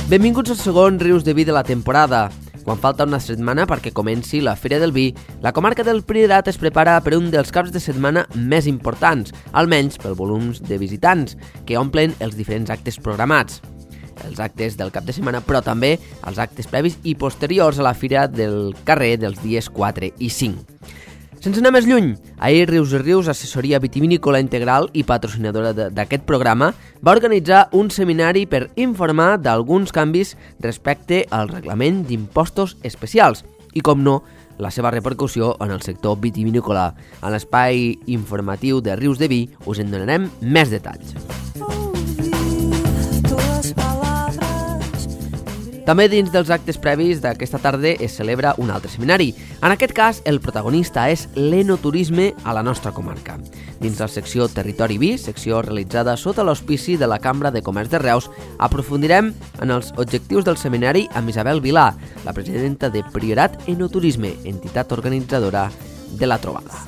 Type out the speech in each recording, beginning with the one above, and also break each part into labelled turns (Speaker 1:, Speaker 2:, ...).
Speaker 1: Benvinguts al segon Rius de Vi de la temporada. Quan falta una setmana perquè comenci la Fira del Vi, la comarca del Priorat es prepara per un dels caps de setmana més importants, almenys pel volum de visitants, que omplen els diferents actes programats. Els actes del cap de setmana, però també els actes previs i posteriors a la Fira del carrer dels dies 4 i 5. Sense anar més lluny, ahir Rius i Rius, assessoria vitivinícola integral i patrocinadora d'aquest programa, va organitzar un seminari per informar d'alguns canvis respecte al reglament d'impostos especials i, com no, la seva repercussió en el sector vitivinícola. En l'espai informatiu de Rius de Vi us en donarem més detalls. També dins dels actes previs d'aquesta tarda es celebra un altre seminari. En aquest cas, el protagonista és l'enoturisme a la nostra comarca. Dins la secció Territori Vi, secció realitzada sota l'auspici de la Cambra de Comerç de Reus, aprofundirem en els objectius del seminari amb Isabel Vilà, la presidenta de Priorat Enoturisme, entitat organitzadora de la trobada.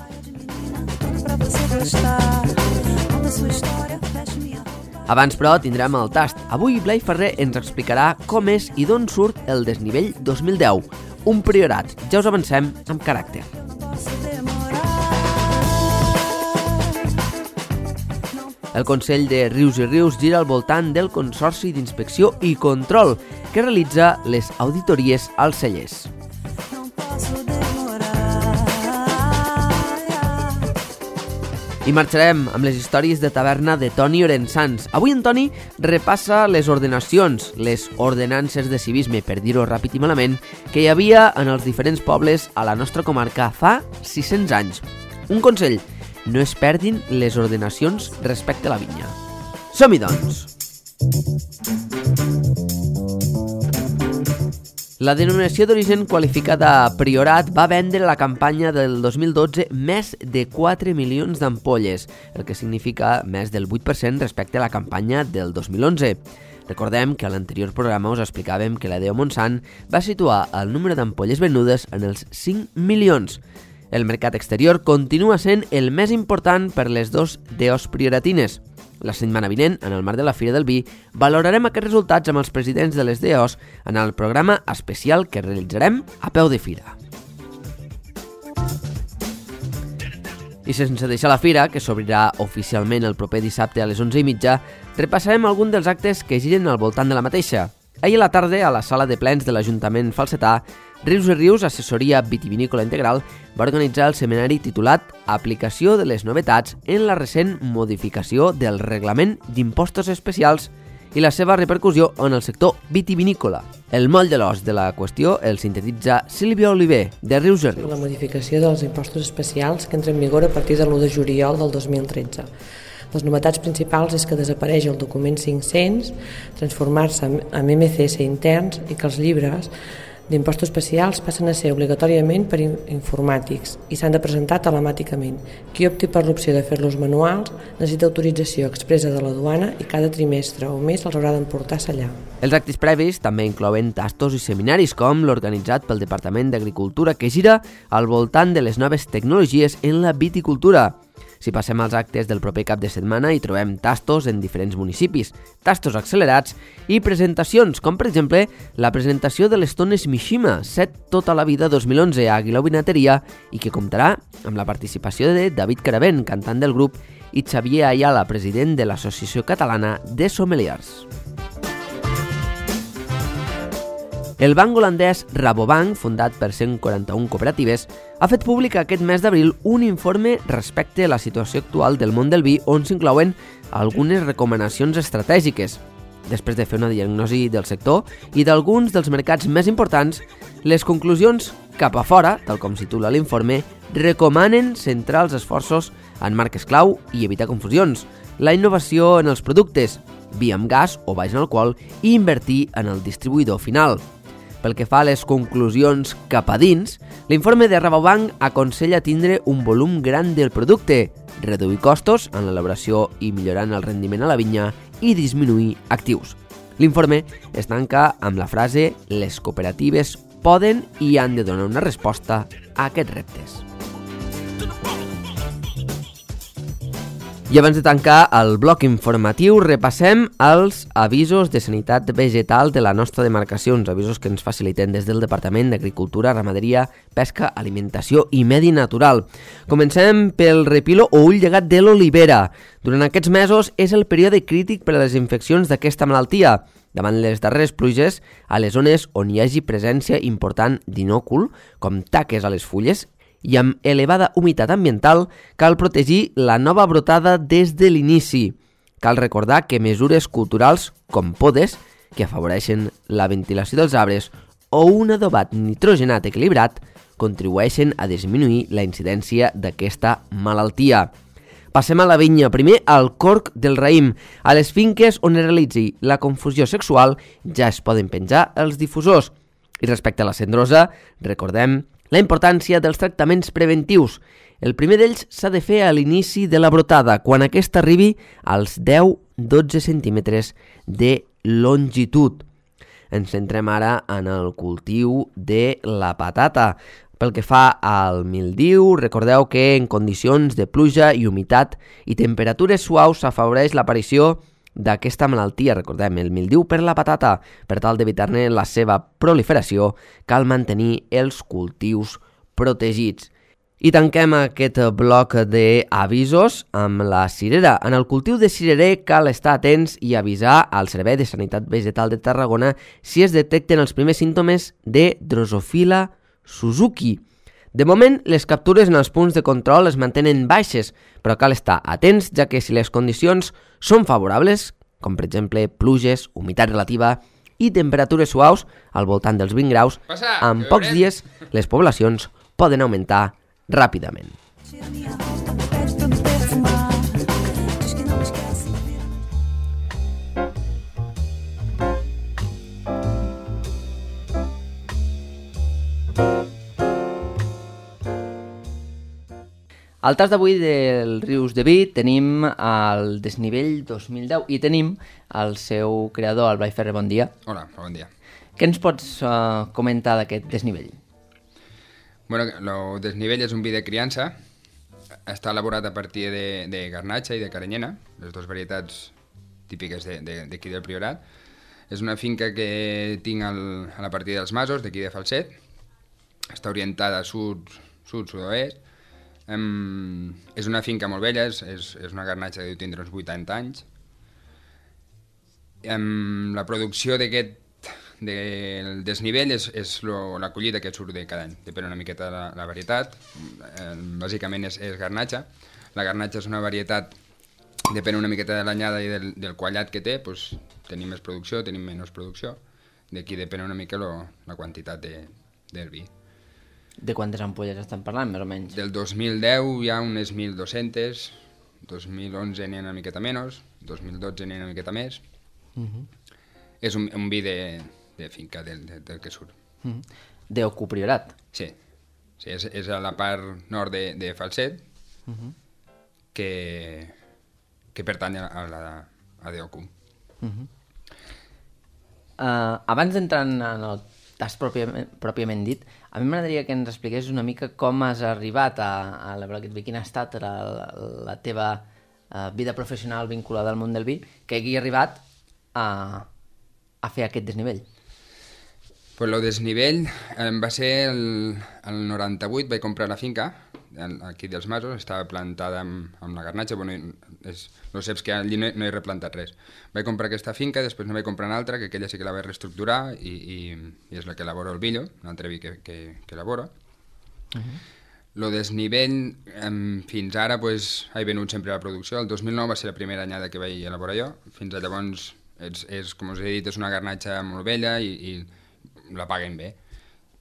Speaker 1: Abans, però, tindrem el tast. Avui Blai Ferrer ens explicarà com és i d'on surt el desnivell 2010, un priorat. Ja us avancem amb caràcter. El Consell de Rius i Rius gira al voltant del Consorci d'Inspecció i Control, que realitza les auditories als cellers. I marxarem amb les històries de taverna de Toni Orensans. Avui en Toni repassa les ordenacions, les ordenances de civisme, per dir-ho ràpid i malament, que hi havia en els diferents pobles a la nostra comarca fa 600 anys. Un consell, no es perdin les ordenacions respecte a la vinya. Som-hi, doncs! La denominació d'origen qualificada Priorat va vendre a la campanya del 2012 més de 4 milions d'ampolles, el que significa més del 8% respecte a la campanya del 2011. Recordem que a l'anterior programa us explicàvem que la DO Montsant va situar el número d'ampolles venudes en els 5 milions. El mercat exterior continua sent el més important per les dos DOs prioratines. La setmana vinent, en el marc de la Fira del Vi, valorarem aquests resultats amb els presidents de les DOs en el programa especial que realitzarem a peu de fira. I sense deixar la fira, que s'obrirà oficialment el proper dissabte a les 11:30, repassarem algun dels actes que giren al voltant de la mateixa. Ahir a la tarda, a la sala de plens de l'Ajuntament falsetà, Rius i Rius, assessoria vitivinícola integral, va organitzar el seminari titulat Aplicació de les novetats en la recent modificació del reglament d'impostos especials i la seva repercussió en el sector vitivinícola. El moll de l'os de la qüestió el sintetitza Sílvia Oliver, de Rius i Rius.
Speaker 2: La modificació dels impostos especials que entra en vigor a partir de l'1 de juliol del 2013. Les novetats principals és que desapareix el document 500, transformar-se en MCS interns i que els llibres d'impostos especials passen a ser obligatòriament per informàtics i s'han de presentar telemàticament. Qui opti per l'opció de fer-los manuals necessita autorització expressa de la duana i cada trimestre o mes els haurà d'emportar a sellar.
Speaker 1: Els actes previs també inclouen tastos i seminaris com l'organitzat pel Departament d'Agricultura que gira al voltant de les noves tecnologies en la viticultura. Si passem als actes del proper cap de setmana hi trobem tastos en diferents municipis, tastos accelerats i presentacions, com per exemple la presentació de les tones Mishima, set tota la vida 2011 a Aguilar Vinateria i que comptarà amb la participació de David Caravent, cantant del grup, i Xavier Ayala, president de l'Associació Catalana de Sommeliers. El banc holandès Rabobank, fundat per 141 cooperatives, ha fet públic aquest mes d'abril un informe respecte a la situació actual del món del vi on s'inclouen algunes recomanacions estratègiques. Després de fer una diagnosi del sector i d'alguns dels mercats més importants, les conclusions cap a fora, tal com titula l'informe, recomanen centrar els esforços en marques clau i evitar confusions, la innovació en els productes, vi amb gas o baix en alcohol i invertir en el distribuïdor final. Pel que fa a les conclusions cap a dins, l'informe de Rabobank aconsella tindre un volum gran del producte, reduir costos en l'elaboració i millorant el rendiment a la vinya i disminuir actius. L'informe es tanca amb la frase «Les cooperatives poden i han de donar una resposta a aquests reptes». I abans de tancar el bloc informatiu, repassem els avisos de sanitat vegetal de la nostra demarcació, uns avisos que ens faciliten des del Departament d'Agricultura, Ramaderia, Pesca, Alimentació i Medi Natural. Comencem pel repilo o ull llegat de l'olivera. Durant aquests mesos és el període crític per a les infeccions d'aquesta malaltia. Davant les darreres pluges, a les zones on hi hagi presència important d'inòcul, com taques a les fulles, i amb elevada humitat ambiental, cal protegir la nova brotada des de l'inici. Cal recordar que mesures culturals com podes, que afavoreixen la ventilació dels arbres, o un adobat nitrogenat equilibrat, contribueixen a disminuir la incidència d'aquesta malaltia. Passem a la vinya. Primer, al corc del raïm. A les finques on es realitzi la confusió sexual ja es poden penjar els difusors. I respecte a la cendrosa, recordem la importància dels tractaments preventius. El primer d'ells s'ha de fer a l'inici de la brotada, quan aquesta arribi als 10-12 centímetres de longitud. Ens centrem ara en el cultiu de la patata. Pel que fa al mildiu, recordeu que en condicions de pluja i humitat i temperatures suaus s'afavoreix l'aparició d'aquesta malaltia. Recordem, el mildiu per la patata. Per tal d'evitar-ne la seva proliferació, cal mantenir els cultius protegits. I tanquem aquest bloc d'avisos amb la cirera. En el cultiu de cirerer cal estar atents i avisar al Servei de Sanitat Vegetal de Tarragona si es detecten els primers símptomes de Drosophila Suzuki. De moment, les captures en els punts de control es mantenen baixes, però cal estar atents, ja que si les condicions són favorables, com per exemple pluges, humitat relativa i temperatures suaus al voltant dels 20 graus, en pocs dies les poblacions poden augmentar ràpidament. Al tas d'avui del Rius de Vi tenim el desnivell 2010 i tenim el seu creador, el Blai Ferrer. Bon dia.
Speaker 3: Hola, bon dia.
Speaker 1: Què ens pots comentar d'aquest desnivell?
Speaker 3: Bueno, el desnivell és un vi de criança. Està elaborat a partir de garnatxa i de carinyena, les dues varietats típiques d'aquí del Priorat. És una finca que tinc a la partida dels Masos, d'aquí de Falset. Està orientada a sud-sud-oest. És una finca molt vella, és una garnatxa que deu tindre uns 80 anys. La producció del desnivell és la collita que surt de cada any, depèn una miqueta de la varietat. Bàsicament és garnatxa. La garnatxa és una varietat, depèn una miqueta de l'anyada i del quallat que té, doncs tenim més producció, tenim menys producció. D'aquí depèn una mica la quantitat del vi.
Speaker 1: De quantes ampolles estem parlant, més o menys?
Speaker 3: Del 2010 hi ha unes 1.200, 2011 n'hi ha una miqueta menys, 2012 n'hi ha una miqueta més. És un vi de finca del que surt.
Speaker 1: D'Ocu Priorat?
Speaker 3: Sí, és a la part nord de Falset, que pertany a d'Ocu.
Speaker 1: Abans d'entrar en el tast pròpiament dit, a mi m'agradaria que ens expliqués una mica com has arribat a elaborar aquest vi, quina ha estat la teva vida professional vinculada al món del vi, que hagi arribat a fer aquest desnivell.
Speaker 3: Pues el desnivell va ser el 98, vaig comprar la finca, aquí dels Masos, estava plantada amb la garnatxa, bueno, no saps que allí no he replantat res. Vaig comprar aquesta finca, després ne vaig comprar una altra, que aquella sí que la vaig reestructurar i és la que elaboro el Villo, un altre vi que elaboro. El desnivell, fins ara, he venut sempre a la producció. El 2009 va ser la primera anyada que vaig elaborar jo. Fins a llavors, com us he dit, és una garnatxa molt vella i la paguen bé.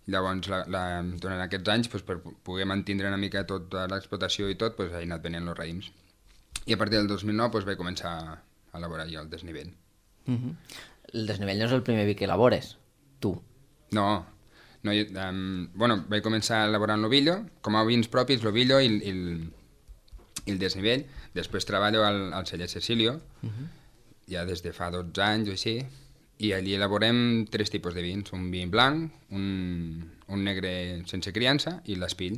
Speaker 3: Llavors, durant aquests anys, per poder mantenir una mica tota l'explotació i tot, he anat venent els raïms. I a partir del 2009 vaig començar a elaborar jo el desnivell.
Speaker 1: El desnivell no és el primer vi que elabores, tu?
Speaker 3: No, vaig començar elaborant l'ovillo, com a vins propis, l'ovillo i el desnivell. Després treballo al celler Cecilio, ja des de fa 12 anys o així, i allí elaborem 3 tipus de vins, un vi blanc, un negre sense criança i l'espill,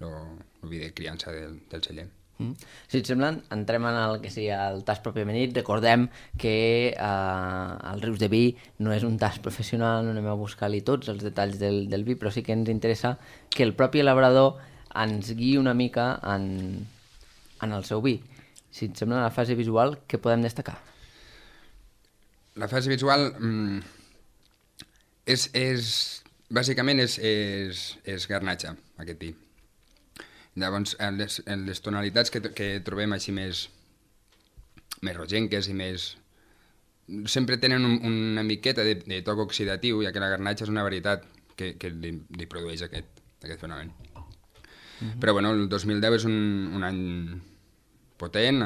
Speaker 3: el vi de criança del celler.
Speaker 1: Si et sembla, entrem en el que seria el tast pròpiament dit. Recordem que el Rius de Vi no és un tast professional, no anem a buscar-li tots els detalls del vi, però sí que ens interessa que el propi elaborador ens guiï una mica en el seu vi. Si et sembla, la fase visual, què podem destacar?
Speaker 3: La fase visual bàsicament és garnatxa, aquest vi. Llavors, les tonalitats que trobem així més rogenques i més... sempre tenen una miqueta de toc oxidatiu, ja que la garnatxa és una varietat que li produeix aquest fenomen. Però bueno, el 2010 és un any potent,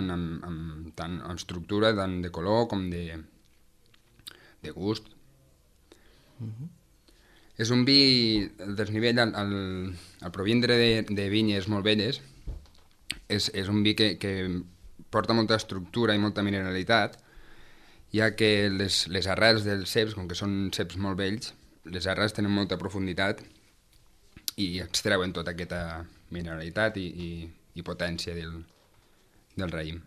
Speaker 3: tant en estructura, tant de color com de gust. És un vi, el desnivell, al provindre de vinyes molt velles, és un vi que porta molta estructura i molta mineralitat, ja que les arrels dels ceps, com que són ceps molt vells, les arrels tenen molta profunditat i extreuen tota aquesta mineralitat i potència del raïm.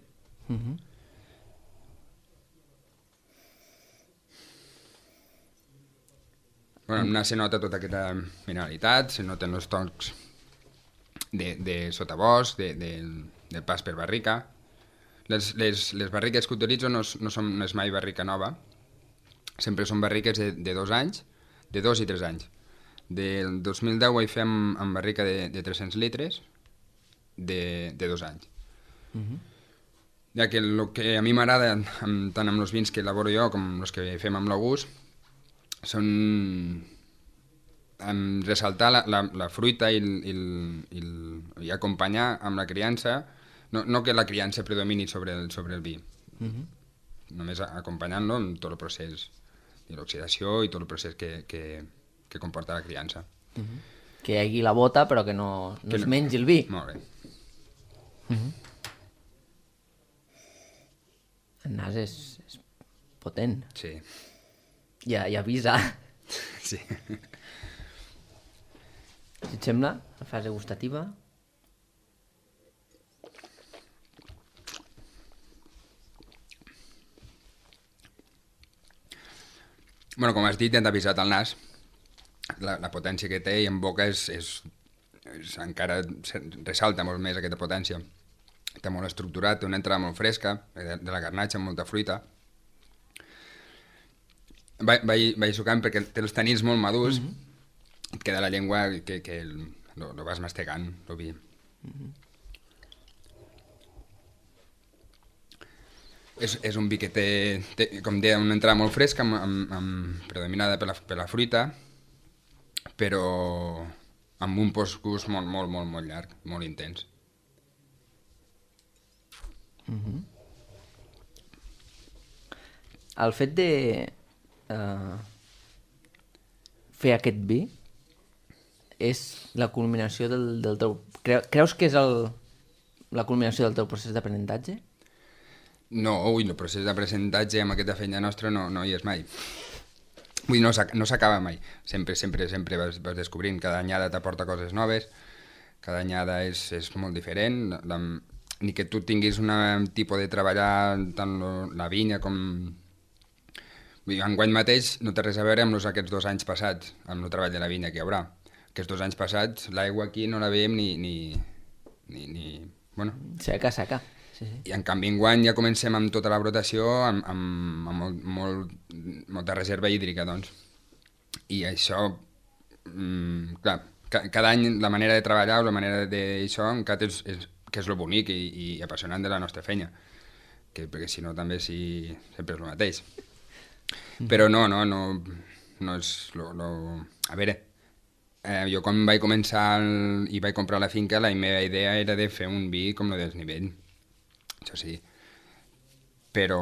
Speaker 3: Bueno, se nota tota aquesta mineralitat, se noten els tocs de sotabosc, del pas per barrica. Les barriques que utilitzo no és mai barrica nova, sempre són barriques de 2 anys, de 2 i 3 anys. Del 2010 ho vaig fer amb barrica de 300 litres de 2 anys. Ja que el que a mi m'agrada, tant amb els vins que elaboro jo com els que fem amb l'August, són ressaltar la fruita i acompanyar amb la criança, no que la criança predomini sobre el vi, només acompanyant-lo en tot el procés de l'oxidació i tot el procés que comporta la criança.
Speaker 1: Que hi hagi la bota però que no es mengi el vi.
Speaker 3: Molt bé.
Speaker 1: El nas és potent.
Speaker 3: Sí.
Speaker 1: I avisa.
Speaker 3: Sí.
Speaker 1: Si et sembla, la fase gustativa...
Speaker 3: Bueno, com has dit, ja t'ha avisat el nas. La potència que té i en boca encara ressalta molt més aquesta potència. Està molt estructurat, té una entrada molt fresca, de la garnatxa amb molta fruita. Vaig sucant perquè té els tanins molt madurs, et queda la llengua que lo vas mastegant, el vi. És un vi que té, com deia, una entrada molt fresca, predominada per la fruita, però amb un postgust molt llarg, molt intens.
Speaker 1: El fet de fer aquest vi és la culminació del teu... Creus que és la culminació del teu procés d'aprenentatge?
Speaker 3: No, el procés d'aprenentatge amb aquesta feina nostra no hi és mai. Vull dir, no s'acaba mai. Sempre vas descobrint. Cada anyada t'aporta coses noves, cada anyada és molt diferent. Ni que tu tinguis un tipus de treballar tant la vinya com... Vull dir, enguany mateix no té res a veure amb aquests 2 anys passats, amb el treball de la vinya que hi haurà. Aquests 2 anys passats l'aigua aquí no la veiem ni bueno.
Speaker 1: Seca. Sí.
Speaker 3: I en canvi enguany ja comencem amb tota la brotació, amb molta reserva hídrica, doncs. I això, clar, cada any la manera de treballar o la manera d'això encara que és lo bonic i apassionant de la nostra feina, perquè si no també sempre és el mateix. Però no és a veure, jo quan vaig començar i vaig comprar la finca, la meva idea era de fer un vi com el desnivell, això sí, però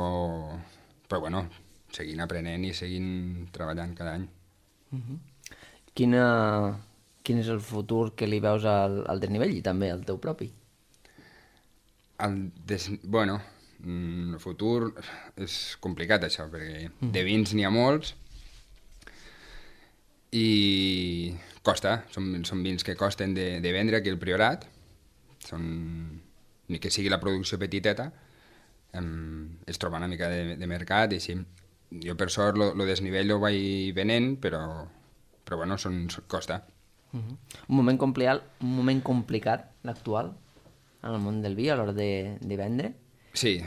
Speaker 3: bueno, seguint aprenent i seguint treballant cada any.
Speaker 1: Quin és el futur que li veus al desnivell i també al teu propi?
Speaker 3: Bueno, el futur és complicat, això, perquè de vins n'hi ha molts i costa, són vins que costen de vendre aquí al Priorat, ni que sigui la producció petiteta, es troba una mica de mercat i així. Jo per sort lo desnivell ho vaig venent, però bueno, costa.
Speaker 1: Un moment complicat, l'actual, en el món del vi, a l'hora de vendre.
Speaker 3: Sí,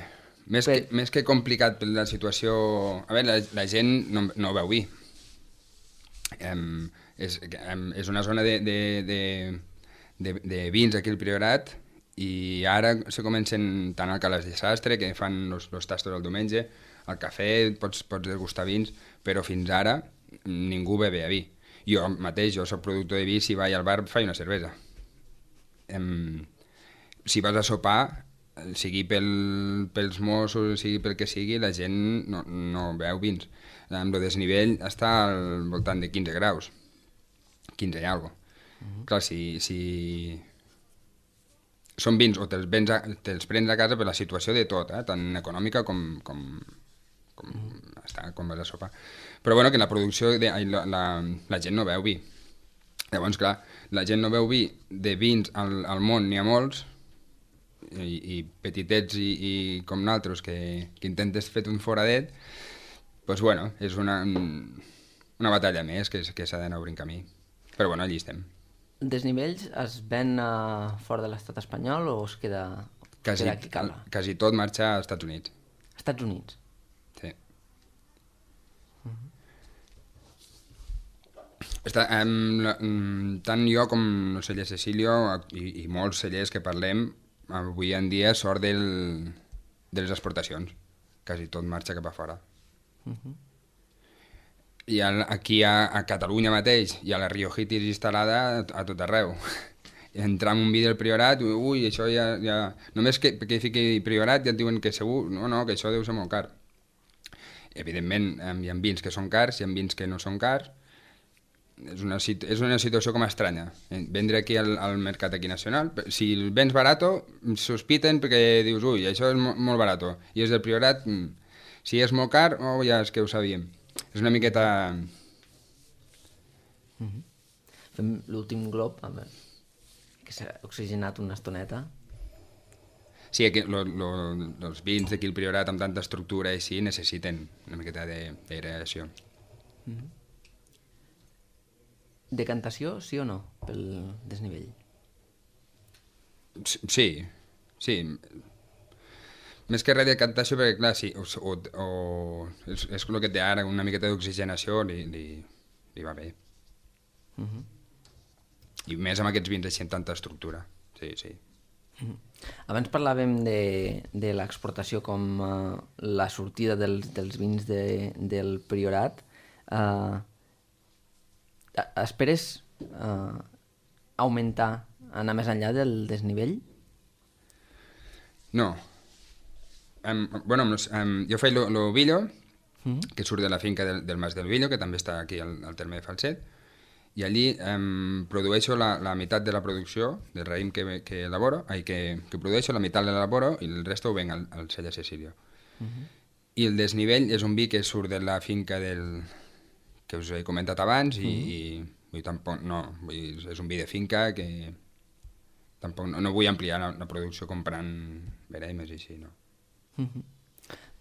Speaker 3: més que complicat per la situació... A veure, la gent no beu vi. És una zona de vins aquí al Priorat i ara se comencen tant al Cales de Sastre, que fan els tastos el diumenge, al cafè pots degustar vins, però fins ara ningú bevia vi. Jo mateix, jo soc productor de vi, si vaig al bar faig una cervesa. Si vas a sopar, sigui pels Mossos, sigui pel que sigui, la gent no beu vins. Amb el desnivell està al voltant de 15 graus, 15 i alguna cosa. Clar, si són vins o te'ls prens a casa per la situació de tot, tant econòmica com vas a sopar. Però bueno, que la producció, la gent no beu vi. Llavors, clar, la gent no beu vi, de vins al món n'hi ha molts, i petitets i com nosaltres que intentes fer un foradet, doncs bueno, és una batalla més que s'ha d'anar obrint camí. Però bueno, allí estem.
Speaker 1: Desnivells es ven fora de l'estat espanyol o es queda aquí a Cala?
Speaker 3: Quasi tot marxa als Estats Units.
Speaker 1: Estats Units?
Speaker 3: Sí. Tant jo com el celler Cecilio i molts cellers que parlem, avui en dia sort de les exportacions. Quasi tot marxa cap a fora. I aquí a Catalunya mateix hi ha la Riojitis instal·lada a tot arreu. Entrar en un vi del Priorat, ui, això ja... Només que fiqui Priorat ja et diuen que segur, no, que això deu ser molt car. Evidentment, hi ha vins que són cars, hi ha vins que no són cars. És una situació com estranya. Vendre aquí al mercat aquí nacional, si el vens barato, sospiten perquè dius, ui, això és molt barato. I és del Priorat, si és molt car, ja és que ho sabíem. És una miqueta...
Speaker 1: Fem l'últim glob, que s'ha oxigenat una estoneta.
Speaker 3: Sí, els vins d'aquí al Priorat amb tanta estructura i així necessiten una miqueta d'aeració.
Speaker 1: Decantació, sí o no, pel desnivell?
Speaker 3: Sí. Més que res de decantació, perquè clar, sí, és el que té ara, una miqueta d'oxigenació li va bé. I més amb aquests vins així amb tanta estructura, sí.
Speaker 1: Abans parlàvem de l'exportació com la sortida dels vins del Priorat. Esperes augmentar, anar més enllà del desnivell?
Speaker 3: No. Jo faig l'Ovillo, que surt de la finca del Mas del Villo, que també està aquí al terme de Falset, i allí produeixo la meitat de la producció del raïm que elaboro, que produeixo, la meitat l'elaboro i el resto ho venc al celler Cecilio. I el desnivell és un vi que surt de la finca que us he comentat abans i tampoc és un vi de finca que tampoc no vull ampliar la producció comprant veremes i així, no.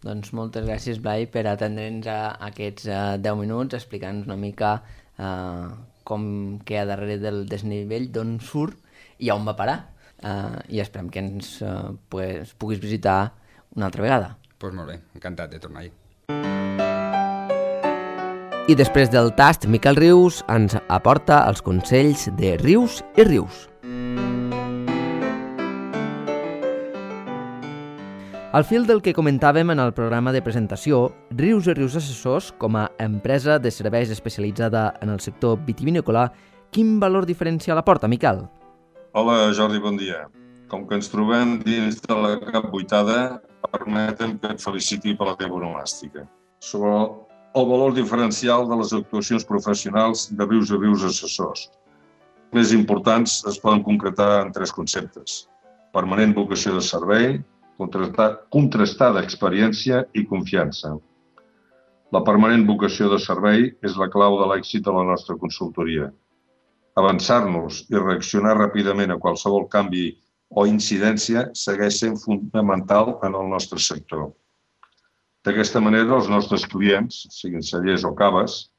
Speaker 1: Doncs moltes gràcies, Blai, per atendre'ns aquests 10 minuts explicant-nos una mica com queda darrere del desnivell, d'on surt i on va parar, i esperem que ens puguis visitar una altra vegada.
Speaker 3: Doncs molt bé, encantat de tornar-hi.
Speaker 1: I després del tast, Miquel Rius ens aporta els consells de Rius i Rius. Al fil del que comentàvem en el programa de presentació, Rius i Rius Assessors, com a empresa de serveis especialitzada en el sector vitivinícola, quin valor diferencial aporta, Miquel?
Speaker 4: Hola, Jordi, bon dia. Com que ens trobem dins de la cap vuitada, permetem que et feliciti per la teva onomàstica. Sobre el valor diferencial de les actuacions professionals de Rius i Rius Assessors. Els més importants es poden concretar en 3 conceptes. Permanent vocació de servei, contrastada experiència i confiança. La permanent vocació de servei és la clau de l'èxit de la nostra consultoria. Avançar-nos i reaccionar ràpidament a qualsevol canvi o incidència segueix sent fonamental en el nostre sector. D'aquesta manera, els nostres clients, siguin cellers o caves,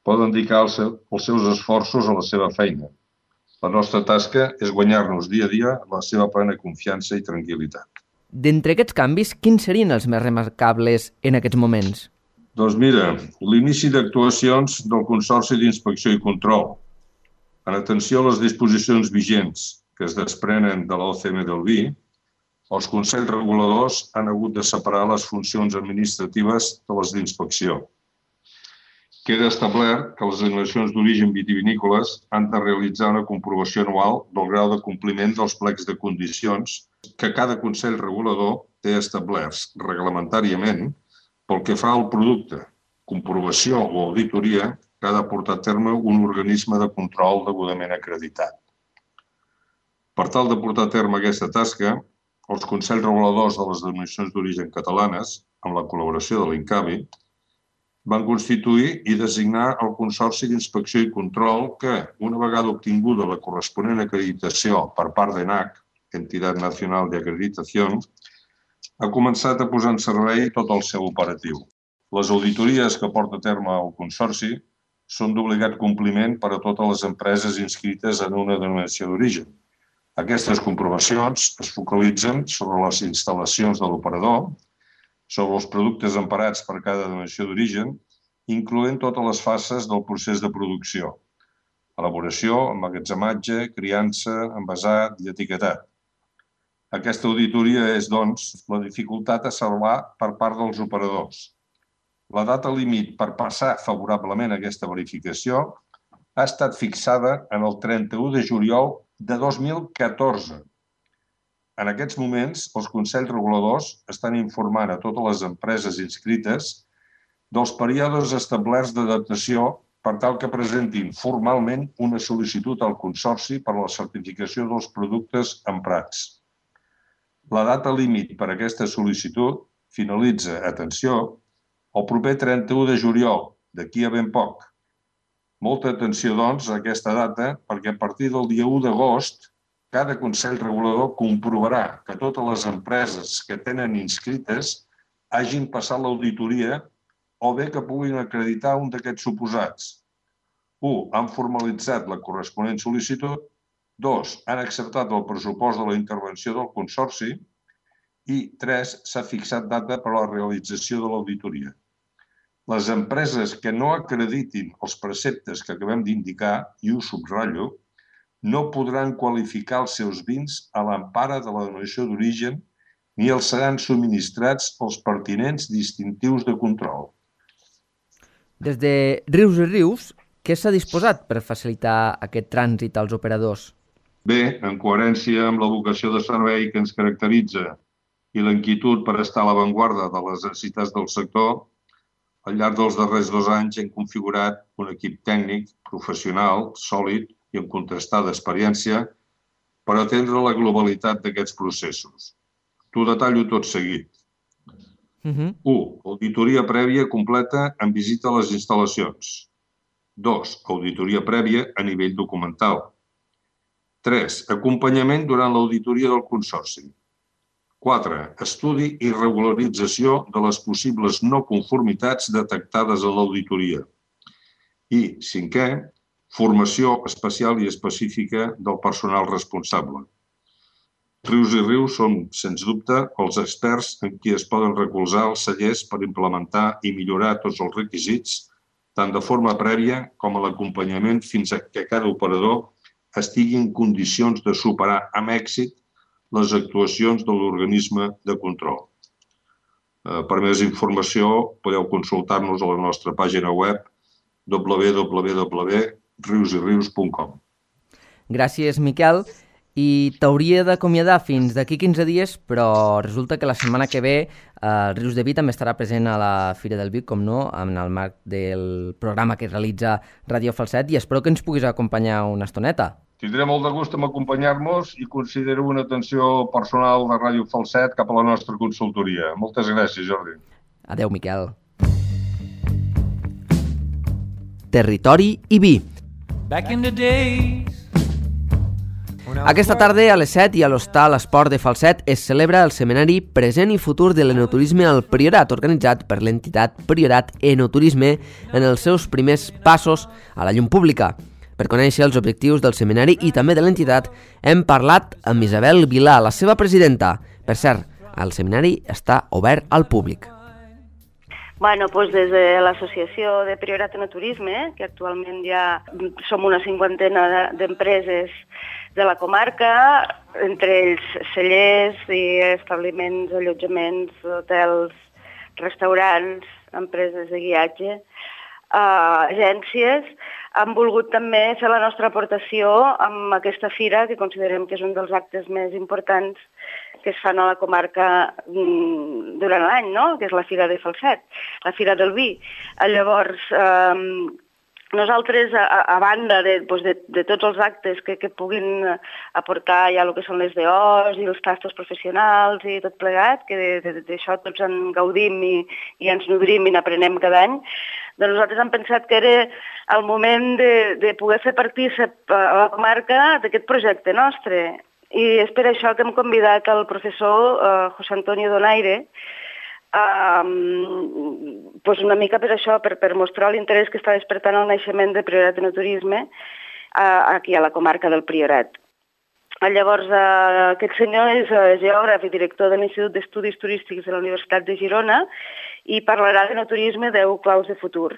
Speaker 4: poden dedicar els seus esforços a la seva feina. La nostra tasca és guanyar-nos dia a dia la seva plena confiança i tranquil·litat.
Speaker 1: D'entre aquests canvis, quins serien els més remarcables en aquests moments?
Speaker 4: Doncs mira, l'inici d'actuacions del Consorci d'Inspecció i Control, en atenció a les disposicions vigents que es desprenen de l'OCM del vi, els consells reguladors han hagut de separar les funcions administratives de les d'inspecció. Queda establert que les denominacions d'origen vitivinícoles han de realitzar una comprovació anual del grau de compliment dels plecs de condicions que cada consell regulador té establerts reglamentàriament pel que fa al producte, comprovació o auditoria que ha de portar a terme un organisme de control degudament acreditat. Per tal de portar a terme aquesta tasca, els consells reguladors de les denominacions d'origen catalanes, amb la col·laboració de l'INCAVI, van constituir i designar el Consorci d'Inspecció i Control que, una vegada obtinguda la corresponent acreditació per part d'ENAC, Entitat Nacional de Acreditación, ha començat a posar en servei tot el seu operatiu. Les auditories que porta a terme el Consorci són d'obligat compliment per a totes les empreses inscrites en una denominació d'origen. Aquestes comprovacions es focalitzen sobre les instal·lacions de l'operador, sobre els productes emparats per cada denominació d'origen, incloent totes les fases del procés de producció: elaboració, emmagatzematge, criança, envasat i etiquetat. Aquesta auditoria és, doncs, la dificultat a salvar per part dels operadors. La data límit per passar favorablement aquesta verificació ha estat fixada en el 31 de juliol de 2014. En aquests moments, els consells reguladors estan informant a totes les empreses inscrites dels períodes establerts d'adaptació per tal que presentin formalment una sol·licitud al Consorci per a la certificació dels productes emprats. La data límit per a aquesta sol·licitud finalitza, atenció, el proper 31 de juliol, d'aquí a ben poc. Molta atenció, doncs, a aquesta data, perquè a partir del dia 1 d'agost cada Consell Regulador comprovarà que totes les empreses que tenen inscrites hagin passat l'auditoria o bé que puguin acreditar un d'aquests suposats. 1. Han formalitzat la corresponent sol·licitud. 2. Han acceptat el pressupost de la intervenció del Consorci. I 3. S'ha fixat data per a la realització de l'auditoria. Les empreses que no acreditin els preceptes que acabem d'indicar, i ho subratllo, no podran qualificar els seus vins a l'empara de la denominació d'origen ni els seran subministrats els pertinents distintius de control.
Speaker 1: Des de Rius i Rius, què s'ha disposat per facilitar aquest trànsit als operadors?
Speaker 4: Bé, en coherència amb la vocació de servei que ens caracteritza i la inquietud per estar a l'avantguarda de les necessitats del sector, al llarg dels darrers 2 anys hem configurat un equip tècnic, professional, sòlid i amb contrastada experiència per atendre la globalitat d'aquests processos. T'ho detallo tot seguit. 1. Auditoria prèvia completa en visita a les instal·lacions. 2. Auditoria prèvia a nivell documental. 3. Acompanyament durant l'auditoria del Consorci. 4. Estudi i regularització de les possibles no conformitats detectades a l'auditoria. I 5è, formació especial i específica del personal responsable. Rius i Rius són, sens dubte, els experts en qui es poden recolzar els cellers per implementar i millorar tots els requisits, tant de forma prèvia com a l'acompanyament fins a que cada operador estigui en condicions de superar amb èxit les actuacions de l'organisme de control. Per més informació podeu consultar-nos a la nostra pàgina web www.riusirius.com.
Speaker 1: Gràcies, Miquel. I t'hauria d'acomiadar fins d'aquí 15 dies, però resulta que la setmana que ve el Rius de Vi també estarà present a la Fira del Vi, com no, en el marc del programa que realitza Ràdio Falset, i espero que ens puguis acompanyar una estoneta.
Speaker 4: Tindré molt de gust en acompanyar-nos i considero una atenció personal de Ràdio Falset cap a la nostra consultoria. Moltes gràcies, Jordi.
Speaker 1: Adéu, Miquel. Territori i vi. Aquesta tarda a les 7 i a l'Hostal Esport de Falset es celebra el seminari Present i Futur de l'Enoturisme al Priorat, organitzat per l'entitat Priorat Enoturisme en els seus primers passos a la llum pública. Per conèixer els objectius del seminari i també de l'entitat, hem parlat amb Isabel Vilà, la seva presidenta. Per cert, el seminari està obert al públic.
Speaker 5: Bueno, doncs des de l'associació de Priorat Enoturisme, que actualment ja som una 50 d'empreses de la comarca, entre ells cellers i establiments, allotjaments, hotels, restaurants, empreses de guiatge, agències, han volgut també fer la nostra aportació amb aquesta fira, que considerem que és un dels actes més importants que es fan a la comarca durant l'any, no? Que és la Fira de Falset, la Fira del Vi. Llavors, nosaltres, a banda de tots els actes que puguin aportar ja el que són les DOs i els tastos professionals i tot plegat, que d'això tots en gaudim i ens nodrim i n'aprenem cada any, doncs nosaltres hem pensat que era el moment de poder fer partícip a la comarca d'aquest projecte nostre. I és per això que hem convidat el professor José Antonio Donaire, una mica per això, per mostrar l'interès que està despertant el naixement de Priorat Enoturisme aquí a la comarca del Priorat. Llavors, aquest senyor és geògraf i director de l'Institut d'Estudis Turístics de la Universitat de Girona i parlarà d'enoturisme 10 claus de futur.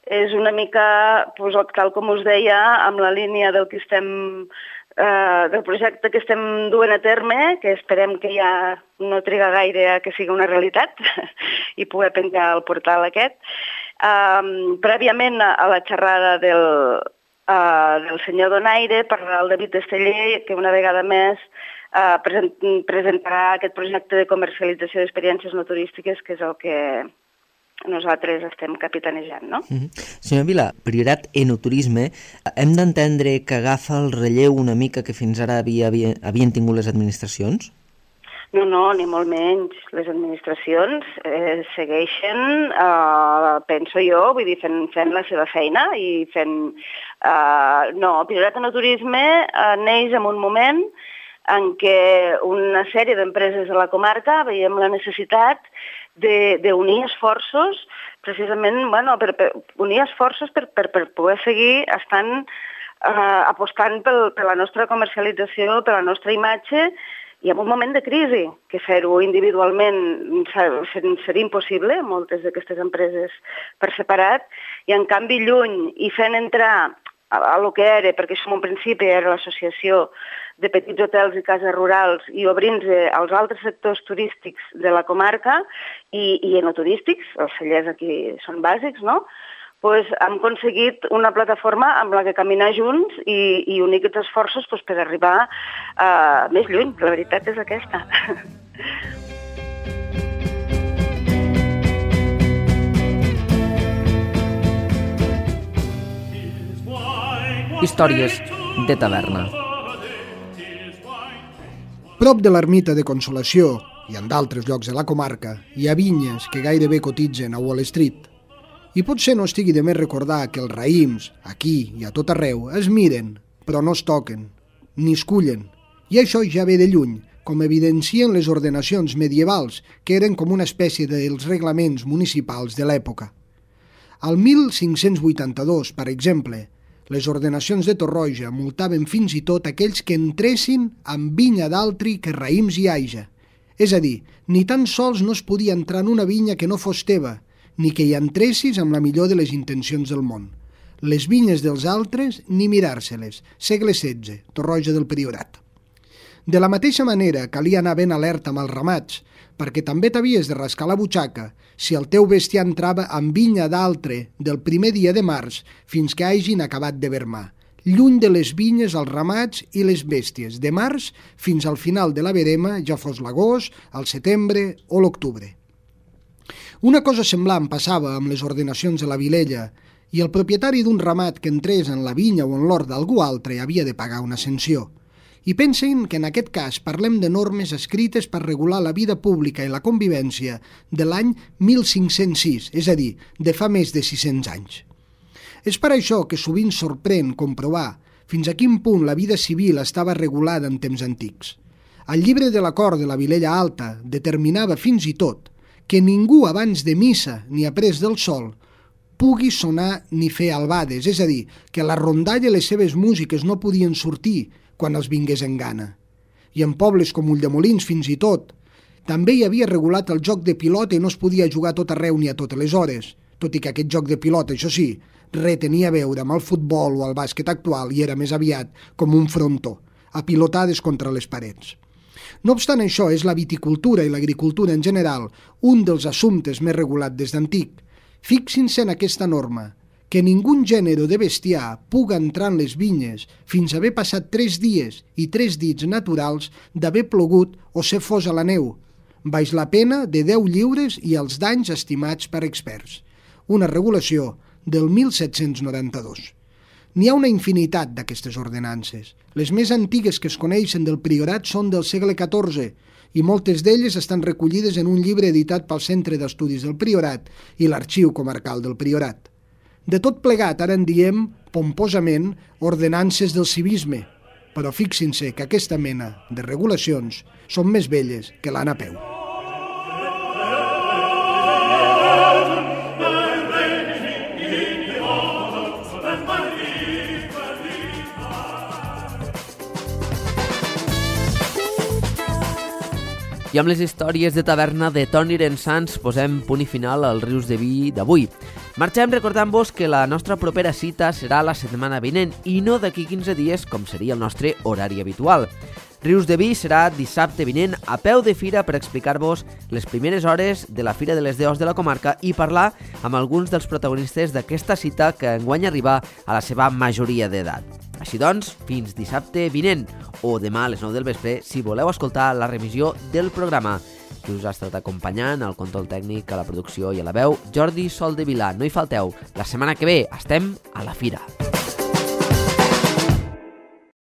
Speaker 5: És una mica, tal com us deia, amb la línia del projecte que estem duent a terme, que esperem que ja no triga gaire a que sigui una realitat i poder penjar el portal aquest. Prèviament a la xerrada del senyor Donaire parlarà el David Esteller, que una vegada més presentarà aquest projecte de comercialització d'experiències no turístiques, que és el que nosaltres estem capitanejant, no?
Speaker 6: Senyor Vilà, Priorat Enoturisme, hem d'entendre que agafa el relleu una mica que fins ara havien tingut les administracions?
Speaker 5: No, ni molt menys. Les administracions segueixen, penso jo, vull dir, fent la seva feina i fent... No, Priorat Enoturisme neix en un moment en què una sèrie d'empreses de la comarca veiem la necessitat d'unir esforços, precisament, per unir esforços per poder seguir apostant per la nostra comercialització, per la nostra imatge, i en un moment de crisi, que fer-ho individualment seria impossible, moltes d'aquestes empreses per separat, i en canvi lluny i fent entrar a lo que era, perquè això en un principi era l'associació de petits hotels i cases rurals i obrint-se als altres sectors turístics de la comarca i enoturístics, els cellers aquí són bàsics, no? Doncs hem aconseguit una plataforma amb la que caminar junts i unir aquests esforços per arribar més lluny. La veritat és aquesta.
Speaker 1: Històries de taverna.
Speaker 7: Prop de l'ermita de Consolació i en d'altres llocs de la comarca hi ha vinyes que gairebé cotitzen a Wall Street. I potser no estigui de més recordar que els raïms, aquí i a tot arreu, es miren, però no es toquen, ni es cullen. I això ja ve de lluny, com evidencien les ordenacions medievals, que eren com una espècie dels reglaments municipals de l'època. Al 1582, per exemple, les ordenacions de Torroja multaven fins i tot aquells que entressin amb vinya d'altri que raïms hi haja. És a dir, ni tan sols no es podia entrar en una vinya que no fos teva, ni que hi entressis amb la millor de les intencions del món. Les vinyes dels altres, ni mirar-se-les. Segle XVI, Torroja del Priorat. De la mateixa manera, calia anar ben alerta amb els ramats, perquè també t'havies de rascar la butxaca si el teu bestiar entrava amb vinya d'altre del primer dia de març fins que hagin acabat de vermar. Lluny de les vinyes, els ramats i les bèsties, de març fins al final de la verema, ja fos l'agost, el setembre o l'octubre. Una cosa semblant passava amb les ordenacions de la Vilella, i el propietari d'un ramat que entrés en la vinya o en l'hort d'algú altre havia de pagar una sanció. I pensin que en aquest cas parlem de normes escrites per regular la vida pública i la convivència de l'any 1506, és a dir, de fa més de 600 anys. És per això que sovint sorprèn comprovar, fins a quin punt la vida civil estava regulada en temps antics. El llibre de l'acord de la Vilella Alta determinava fins i tot que ningú abans de missa ni après del sol pugui sonar ni fer albades, és a dir, que la rondalla i les seves músiques no podien sortir quan els vingués en gana. I en pobles com Ulldemolins fins i tot, també hi havia regulat el joc de pilota i no es podia jugar a tot arreu ni a totes les hores, tot i que aquest joc de pilota, això sí, res tenia a veure amb el futbol o el bàsquet actual i era més aviat com un frontó, a pilotades contra les parets. No obstant això, és la viticultura i l'agricultura en general un dels assumptes més regulats des d'antic. Fixin-se en aquesta norma, que ningú gènere de bestiar puga entrar en les vinyes fins a haver passat 3 dies i 3 dits naturals d'haver plogut o ser fos a la neu, baix la pena de 10 lliures i els danys estimats per experts. Una regulació del 1792. N'hi ha una infinitat d'aquestes ordenances. Les més antigues que es coneixen del priorat són del segle XIV i moltes d'elles estan recollides en un llibre editat pel Centre d'Estudis del Priorat i l'Arxiu Comarcal del Priorat. De tot plegat, ara en diem, pomposament, ordenances del civisme, però fixin-se que aquesta mena de regulacions són més velles que l'Anna Peu.
Speaker 1: I amb les històries de taverna de Toni Rensans posem punt i final als Rius de Vi d'avui. Marxem recordant-vos que la nostra propera cita serà la setmana vinent i no d'aquí 15 dies com seria el nostre horari habitual. Rius de Vi serà dissabte vinent a peu de fira per explicar-vos les primeres hores de la Fira de les Deus de la comarca i parlar amb alguns dels protagonistes d'aquesta cita que enguany arriba a la seva majoria d'edat. Així doncs, fins dissabte vinent o demà a les 9 del vespre si voleu escoltar la revisió del programa. Qui us ha estat acompanyant, al control tècnic, a la producció i a la veu, Jordi Soldevila. No hi falteu, la setmana que ve estem a la fira.